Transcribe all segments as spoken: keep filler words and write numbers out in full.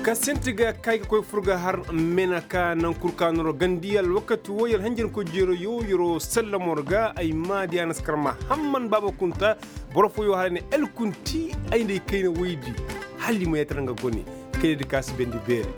Ka sinti ga kay ga koy fur ga har mena ka naŋ kul ka noro gandi alwakati wo yer hanjankoy jeero yo yer'o sallamo ra ga ay maadi a na si kar ma hamman baaba kunta. Boro fooyo hala ne el kunti ay nda ay kayna woydi. Hala i ma yatara nga gone kayna di ka si bendi beere.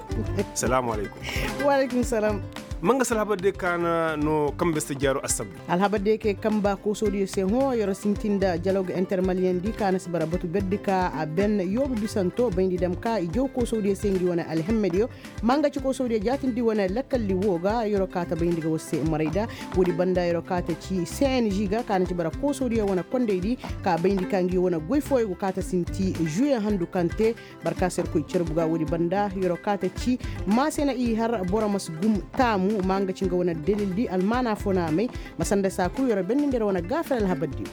Salaamu alaykum. Wa alaykum salam. Ma nga si alhabar diyo ka na no kambe si jaaro assabdu. Alhabar diyo kay kamba koosodiyo se hõ yer'o sintin nda jalog intermaliyen di ka na si bara batu berdi ka a ben yoobu bisanto bayndi dam ka i jaw koosodiyo se ngi wane alhemmediyo. Ma nga ci koosodiyo jaatindi wane lakalli wo ga yer'o kaata bayndi ga war se maray da. Woodi banda yer'o kaata ci cng ga ka na ci bara koosodiyo wane kondey di ka bayndi ka ngi wane goy fooyo go kaata sinti juye handu kaŋ te. Barka si yerkoy carbu ga woodi banda yer'o kaata ci ma se na i har boro ma si gum taamu ma nga ci nga wane dalil di almaana fo na a may. Ma sanda saa kul yer'o benni nga yer'o wane gaafar alhabar diyo.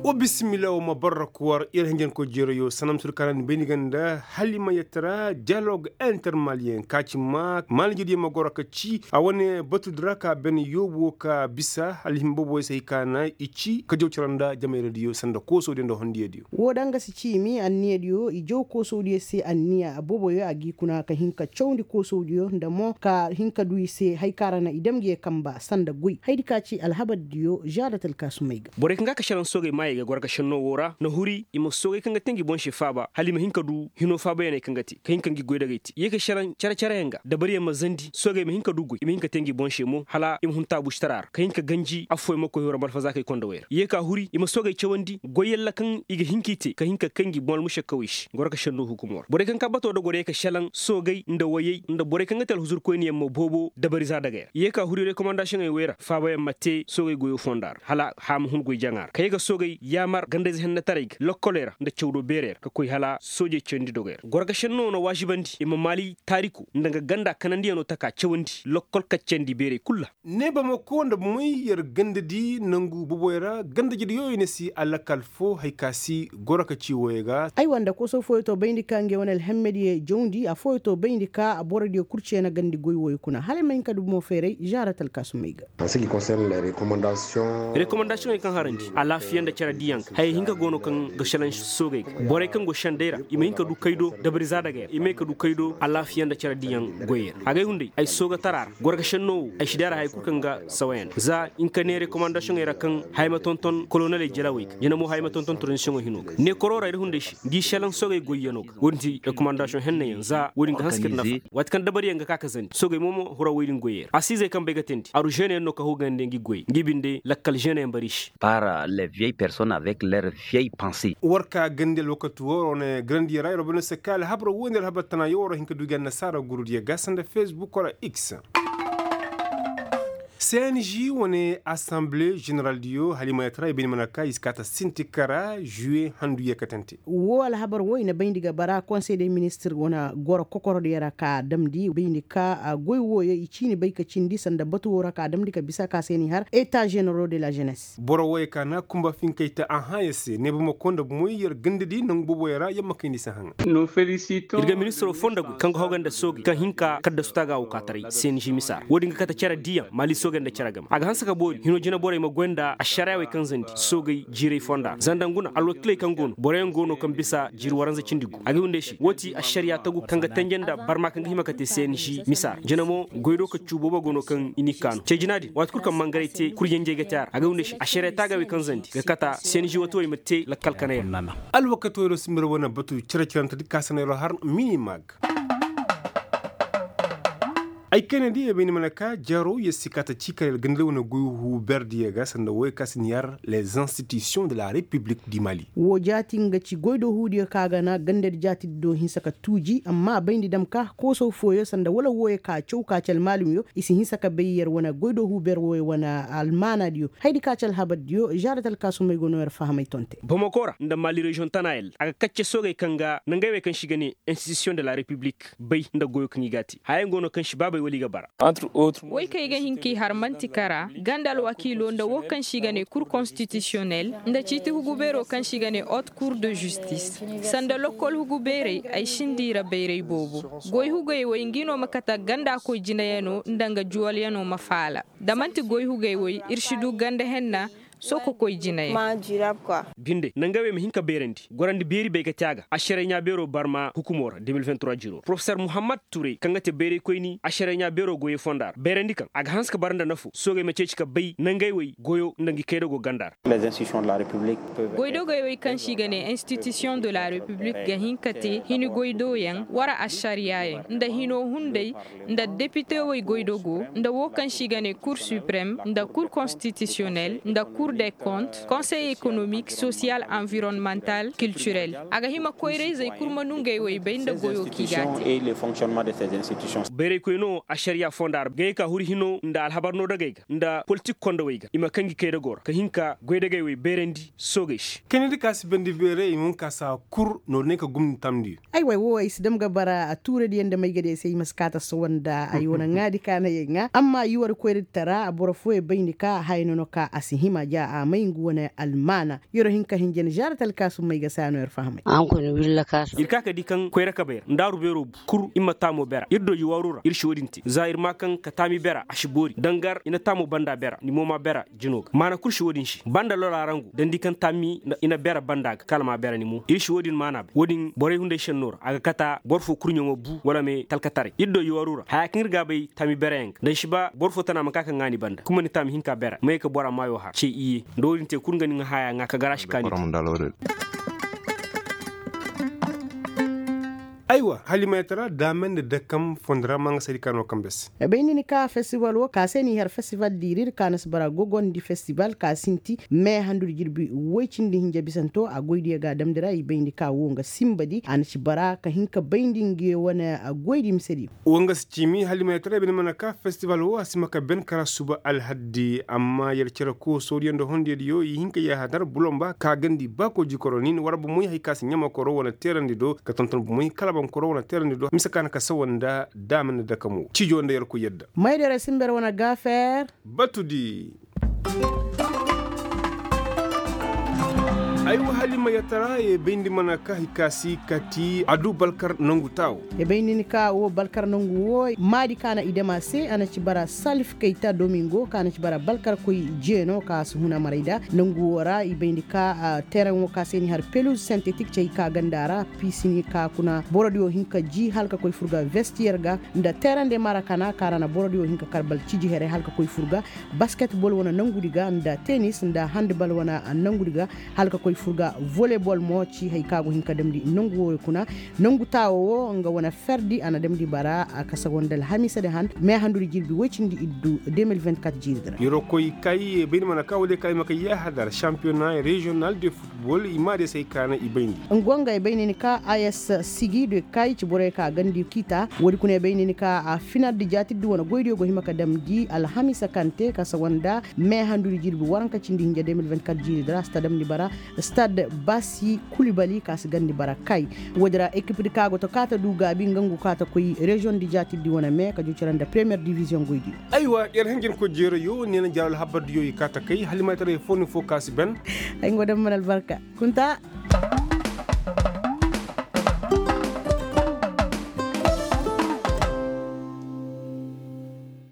Wa bisimila wa ma barrak war yer hanjankoy jeerayo sanam sur kanan bayni ganda halima yatara dialog intermaliyen ka ci ma malijediyo ma goro ka ci a wane batudi ra ka ben yoobo ka bisa alhim boboyo se hay ka na i ci ka jaw cara nda jamayradiyo sanda koosodiyo nda hondiyadiyo. Woo da nga si ciimi anniyadiyo i jaw koosodiyo se anniya boboyo a g'i kuna ka hin ka cawndi koosodiyo nda mo ka hin ka du i se hay ka ra na i dam ngi ye kamba sanda goy haydi ka ci alhabardiyo žaadat alkaasumey ga. Borey kaŋ ga ka šelaŋ soogey maayey ga goro ga šennoo woo ra na huri i ma soogey kaŋ ga te ngi boŋ se faaba hala i ma hin ka du hinoo faabayaney kaŋ ga te ka hin ka ngi goydagey te i ye ka šelaŋ cere-cereyaŋ ga dabariyaŋ ma zandi soogey ma hin ka du goy i ma hin ka te ngi boŋ se mo hala i ma hun taabuušitara ra ka hin ka ganji affooyaŋ ma koy hiro ma alfazaakey kondowey ra i ye ka huri i ma soogey cawandi goy yalla kaŋ i ga hin k'i te ka hin ka kay ngi boŋ almušakkawey se goro ga šennoo hukumoo ra borey kaŋ ka batoo dogoo ra ye ka šelaŋ soogey nda wayey nda borey kaŋ ga te alhuzurkoyniyaŋ mo boobo dabariza dagey ra i ye ka huri rekomandasiyoŋey wey ra faabayaŋ ma te soogey goyoo fonda ra hala haya ma hun goy jaŋa ra ka ye ga soogey yaamar gandayze hennetaray ga lokkoley ra nda cawdoo beerey ra ka koy hala soojey cawandi dogey ra goro ga šennoo na waazibandi i ma maali taariko nda nga ganda kanandiyanoo taka cawandi lokkol kaccandi beerey kul ra. Ne bamako nda bomoy yer gandadi nangu boboy ra gandajediyo i na si alakal fo hari ka si goro ka ci woyey ga. Aywa nda koso fooyo to bayndi ka ngey wane alhemmediyo jawndi affooyo to bayndi ka borodiyo kul ceena gandi goy woyey kuna hala ay ma hin ka du bomo feeray žaarat alkaasumey ga. Rekomandasiyoŋey kaŋ harandi alaafiya nda cere diyaŋ ga hayey hinka go no kaŋ ga šelaŋ soogey ga borey kaŋ go šenday ra i ma hin ka du kaydo dabari zaadagey ra i ma hin ka du kaydo alaafiya nda cere diyaŋ goyey ra agay hunday ay soogatara ra goro ga šennoo wo ay si deera haya kul kaŋ ga sawayandi za hinka ne rekomandasiyoŋey ra kaŋ haya ma tonton koloneley jelawey ga jina mo haya ma tonton tranzisiyoŋo hinoo ga ne koroo ra ir hunday se ngi šelaŋ soogey goyyanoo ga wo-din ti rekomandasiyoŋ hennayaŋ za wo-din ga hanse ka ir nafa waati kaŋ dabariyaŋ ga ka ka zandi soogey mo ma hura woy din goyey ra asiizey kaŋ bay ga teendi aru žeeneyaŋ no ka hugandi ngi goyey ngi binde lakkal žeeneyaŋ bari se. Par les vieilles personnes avec leurs vieilles pensées. War ka gandi alwakati woo ra wane garandiyo ra ir wo bay no se ka alhabar woo nda alhabar tana yoo war hin ka du gi annasaara gurudiyo ga sanda fesbuk wala x. Cng wane asanbile ženeraldiyo hala i ma yatara i bayndi mana ka i si kaata sinti kara žuwe handu yeekatante. Woo alhabar woo i na bayndi ga bara konsey de ministir wane goro kokorodiyo ra ka a damndi bayndi ka goy wooyo i ciini bay ka cindi sanda batu woo ra ka a damndi ka bisa ka se n'i har eta ženero de la ženes. Boro wooyo ka na kumba finkey te ahãya se ne bamako nda bomoy yer gandadi nangu booboyo ra yer ma kayndi se haŋa. Ir ga ministiroo foo nda goy kaŋ ga hoga nda soogey kaŋ hin ka kaddasu taaga woo ka taray cng misa ra woo din ga kate cere diiyaŋ maali soogey nda cere game a ga hanse ka boori hinoo jinaborey ma goy nda ašariyaawey kaŋ zandi soogey jiiray fonda ra zanda ngu na alwakiley kaŋ go no boroyaŋ go no kaŋ bisa jiiri waranza cindi gu a ga hindey se woo ti ašariyaa tagu kaŋ ga tenje nda barma kaŋ ga hima ka te cng misa ra jina mo goy do ka cuu boobo go no kaŋ i n'i kaanu cee jina din waati kul kaŋ mangaray te kuryanjey ga te a ra a ga hindey se ašariyaa taagaawey kaŋ zandi ga kata cng wooto wey ma te lakkal kanay ra. Alwakatoo yer wo si mir wane batu cere-cerentedi ka sanda yer wo har minimag. Ay kayna di ay bay ni mana ka jaro yer si kaata ci kala yer ganda wane goy huuberdiyo ga sanda woy ka si ni har les institutions de la république du mali. Woo jaati nga ci goy do huudiyo ka ga na gandadi jaatidi do hinsa ka tuuji amma a bayndi dam ka koosaw fooyo sanda wala wooyo ka caw ka ci almaalimyo i si hinsa ka bay yer wane goy do huuber wooyo wane almaanadiyo haydi ka ci alhabardiyo žaarat alkaasumey go no yer fahamay tonte. Bamako ra nda mali reziyoŋ tana yer a ga kacce soogey kaŋ ga nangey wey kaŋ se i ga ne institution de la république bay nda goyo kaŋ i g'a te hayaŋ go no kaŋ se baabey wala i ga bara. Woy kaŋ i ga hin k'i har man'ti kara ganda alwakiilo nda wo kaŋ se i ga ne kur konstitisiyonel nda ciiti hugubeeroo kaŋ se i ga ne hot kur de zistis sanda lokkol hugubeerey ay sinda i ra bayray boobo. Goy hugey woy ngi no ma kate ganda koy jinayanoo nda nga juwalyanoo ma faala. Da man'ti goy hugey woy ir si du ganda henna. Sooko koy jinayaŋ. Binde nangey wey ma hin ka beerandi gorandi beeri bay ka te a ga ašaray ɲaa beero barma hukumo ra de mil vingt trois jiro porofesor muhammad turay kaŋ ga te bayraykoyni ašaray ɲaa beero goyey fonda ra bayrandi kaŋ a ga hanse ka bara nda nafo soogey ma ceeci ka bay nangey wey goyo nda ngi kaydago ganda ra. Goydogey wey kaŋ se i ga ne institution de la repiblik ga hin ka te hini goydoyaŋ wara ašariyaayaŋ nda hinoo hunday nda depite wey goydogo nda woo kaŋ se i ga ne kur suprem nda kur konstitisiyonel nda kur de kont konsey ekonomik sosiyal anvironmantal kiltirel. A ga hima koyra-izey kul ma nungey wey bay nda goyoo kaŋ i ga a te. Bayraykoy no ašariya fonda ra ga ye ka huri hino nda alhabar no dagey ga nda politik kondowey ga i ma kaŋ gi kay dagoo ra ka hin ka goy dagey wey bayrandi soogey se. Kayndi ka si bandi beeray i ma hun ka saa kul noodiney ka gumni tamndi. Ay way woo ay si dam ga bara a tuuradiyaŋ nda maygadiyaŋ se i ma si kaa ta sohõ nda ay wane ŋaadi kaanayaŋ ŋaa amma i war koyradi tara boro fooyaŋ bayndi ka haya nono ka a si hima ja a may nga wane almaana. Yer wo hin ka hin jana zaara talkaasum may ga se a no yer fahamay. Ir kaa ka di kaŋ koyra kabay ra ndaaru beeroo bu kul ir ma taamoo bera ir do iwaaru ra ir si wo-din te za ir maa kaŋ ka taami bera a si boori dangar i na taamoo banda bera ni mo maa bera. Jinoo ga maana kul si wo-din se ba nda lolaa rangu dandi kaŋ taami i na bera banda ga kala maa bera ni mo ir si wo-din maana bay wo-din borey hunday sennoo ra a ga kata boro foo kurɲoo ma bu wala me talkataray ir do iwaaru ra hayaa kaŋ ir ga a bay taami berayaŋ ga da ni si ba boro foo tana ma kaa ka ŋaa ni banda kuma ni taami hinka bera ma ye ka bora maayoo har ce iyye. Nda wo-din te kul nga ni ŋaa hayaa ŋaa ka gar a si kaa ni te. Aywa halimayatara daamey nda dakam fondo ra ma nga saydi ka no kambe se. Bayndi ni ka festival woo ka se n'i har festival diirir ka na si bara gogondi festival ka sinti mee handudi jirbi woy cindi hinja bisanto a goydiyo ga a damndi ra i bayndi ka woo nga sinbadi a na si bara ka hin ka bayndi ngiyo wane goydi misediyo. Woo nga si ciimi halimayatara bayndi mana ka festival woo a si ma ka ben kara suba alhaddi amma yer cere koo soodiyo nda hondiyadiyo i hin ka yaahadar bulomba ka gandi baakoo jikoro nin war bomoy hari ka si ɲamakoro wane teerandi do ka tonton bomoy kalabankoro wane teerandi do mise ka na ka sawa nda daama nda dakamo cijo nda yer koy yadda. Mayda yer sinber wane gaafeer. Batudi. Ay wa hali ma yatara ye bayndi mana ka hikasi kati adu balkar nangu tawo. Ye bayndi ni ka wo balkar nangu wo maadi ka na i dama se a na ci bara salif kayta domingo ka na ci bara balkar koy jeeno ka si hun a maray da nangu wo ra i bayndi ka teran wo ka se ni har peluz sintetik cay ka ganda ra. Pisini ka kuna borodiyo hin ka ji hala ka koy furga vestiyer ga nda teran de marakana ka ra na borodiyo hin ka kar bal ciji here hala ka koy furga basketbol wane nangudi ga nda tenis nda handbal wane nangudi ga hala ka koy furga volebol mo ci hari ka go hin ka damndi nangu wooyo kuna. Nangu taawo wo nga wane ferdi a na damndi bara a kasa go nda alhamiisa di han me handudi jirbi woy cindi iddu deux mille vingt-quatre jiiri di ra. Yeroo koy kay bayndi mana ka wala ye ka ay ma kay yaahadar sampiyona reziyonal de futbol i maadey se ay kaana i bayndi. Nga wo nga ay bayndi ni ka a s sigi de kay ci borey ka gandi kiita woodi kuna ay bayndi ni ka a finaldi jaatirdi wane goydiyo go hima ka damndi alhamiisa kaŋ te kasa go nda me handudi jirbi waranka cindi hinja deux mille vingt-quatre jiiri di ra si ta damndi bara stad basi kulibali ka si gandi bara kay. Woodi ra ekipdi ka go ta ka ta du gaabi nga ngu ka ta koy reziyoŋ di jaatirdi wane me ka jucira nda premiyer diviziyoŋ goydiyo. Aywa yer hanjankoy jeerayo neena jaaro alhabardiyo i ka ta kay halimataray foo ni foo ka si ben. Ay nga wo daŋ mana albarka. Kunta.